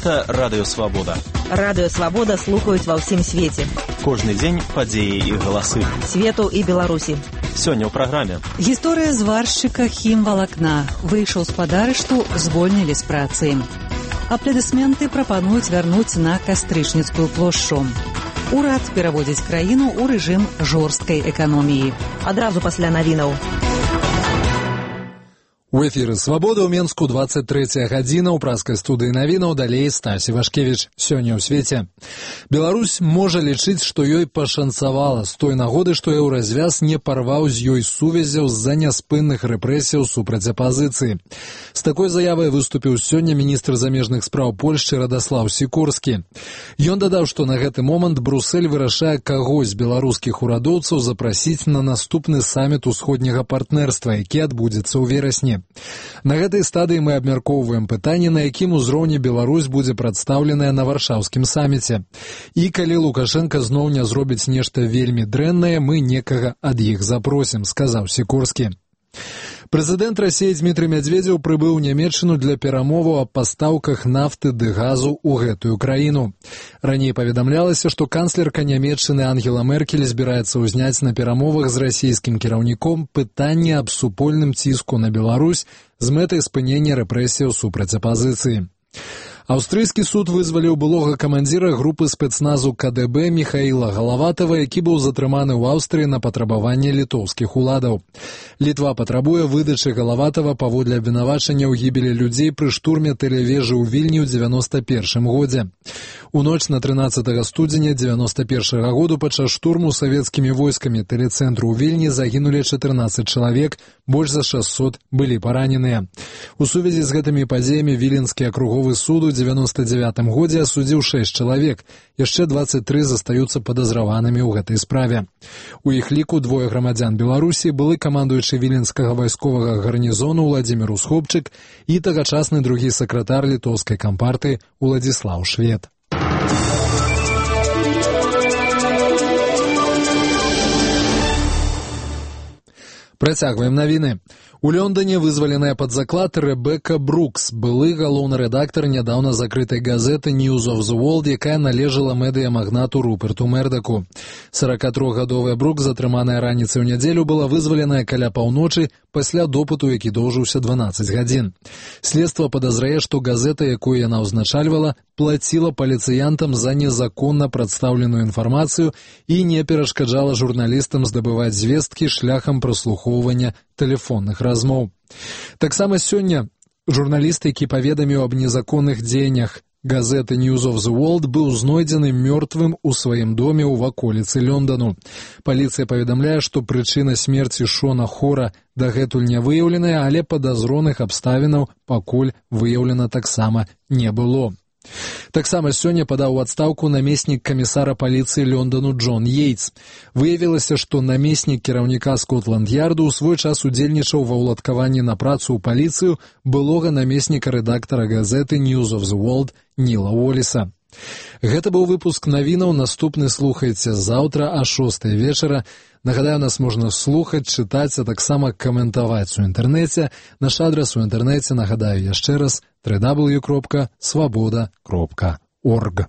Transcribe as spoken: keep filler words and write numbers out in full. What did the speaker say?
Гэта Радыё Свабода. Радыё Свабода слухаюць ва ўсім свеце. Кожны дзень падзеі і галасы. Свету і Беларусі. Сёння ў праграме. Гісторыя зваршчыка хімвалакна. Выйшаў з падарышту, звольнілі з працы. Апладысменты прапануюць вярнуць на Кастрычніцкую плошчу. Урад пераводзіць краіну ў рэжым жорсткай эканоміі. Адразу пасля навінаў. У эфіры «Свабода» ў Менску двадцать трэцяя гадзіна, ў праскай студыі навінаў, далей Стась Івашкевіч. Сёння ў свеце. Беларусь можа лічыць, што ёй пашанцавала з той нагоды, што еўразвяз не парваў з ёй сувязяў з-за няспынных рэпрэсіяў супраць апазіцыі. З такой заявай выступіў сёння міністр замежных спраў Польшчы Радаслаў Сікорскі. Ён дадаў, што на гэты момант Брусель вырашае каго з беларускіх урадоўцаў запрасіць на наступны саміт усходняга партнерства, які адбудзецца ў верасні. На гэтай стадыі мы абмяркоўваем пытанне, на якім узроўні Беларусь будзе прадстаўленая на варшаўскім саміце. І калі Лукашенко зноў не зробіць нешта вельмі дрэннае, мы некага ад іх запросім, сказаў Сікорскі. Прэзідэнт Расіі Дмітрый Мядзведзеў прыбыў у Нямецчыну для перамоваў аб пастаўках нафты ды газу ў гэтую краіну. Раней паведамлялася, што канцлерка Нямецчыны Ангела Меркель збіраецца ўзняць на перамовах з расійскім кіраўніком пытанне аб супольным ціску на Беларусь з мэтай спынення рэпрэсіяў супраць апазіцыі. Аўстрыйскі суд вызваліў былога камандзіра групы спецназу ка дэ бэ Міхаіла Галаватава, які быў затрыманы ў Аўстрыі на патрабаванне літоўскіх уладаў. Літва патрабуе выдачы Галаватава паводле абвінавачання ў гібелі людзей пры штурме тэлевежы ў Вільні ў дзевяноста першым годзе. У ноч на трынаццатага студзеня дзевяноста першага году падчас штурму савецкімі войскамі тэлецэнтру ў Вільні загінулі чатырнаццаць чалавек, больш за шэсцьсот былі параненыя. У сувязі з гэтымі падзеямі Віленскі акруговы суд у дзевяноста дзявятым годзе асудзіў шэсць чалавек, яшчэ дваццаць тры застаюцца падазраванымі ў гэтай справе. У іх ліку двое грамадзян Беларусі, былы камандуючы віленскага вайсковага гарнізону Уладзімір Усхопчык і тагачасны другі сакратар літоўскай кампартыі Уладзіслаў Швед. Працягваем навіны. У Лондоне вызваленая пад заклад Рэбека Брукс, былы галоўны рэдактар нядаўна закрытай газеты News of the World, якая належала медыямагнату Руперту Мердаку. соракатрохгадовая Брукс, затрыманая раніцай у нядзелю, была вызваленая каля паўночы пасля допыту, які доўжыўся дванаццаць гадзін. Следства падазрае, што газета, якую яна ўзначальвала, плаціла паліцыянтам за незаконна прадстаўленую інфармацыю і не перашкаджала журналістам здабываць звесткі шляхам праслухоўвання тэлефонных размоў. Таксама сёння журналіст, які паведаміў аб незаконных дзеяннях газеты News of the World, быў знойдзены мёртвым у сваім доме ў ваколіцы Лондану. Паліцыя паведамляе, што прычына смерці Шона Хора дагэтуль не выяўленая, але падазроных абставінаў пакуль выяўлена таксама не было. Таксама сёння падаў у адстаўку намеснік камісара паліцыі Лондану Джон Йейтс. Выявілася, што намеснік кіраўніка Скотланд-Ярду ў свой час удзельнічаў ва ўладкаванні на працу ў паліцыю былога намесніка рэдактара газеты News of the World Ніла Уоліса. Гэта быў выпуск навінаў, наступны слухайце заўтра а шостай вечара. Нагадаю, нас можна слухаць, чытаць, а таксама каментаваць у інтэрнэце. Наш адрас у інтэрнэце, нагадаю яшчэ раз, дабл ю дабл ю дабл ю кропка свабода кропка орг.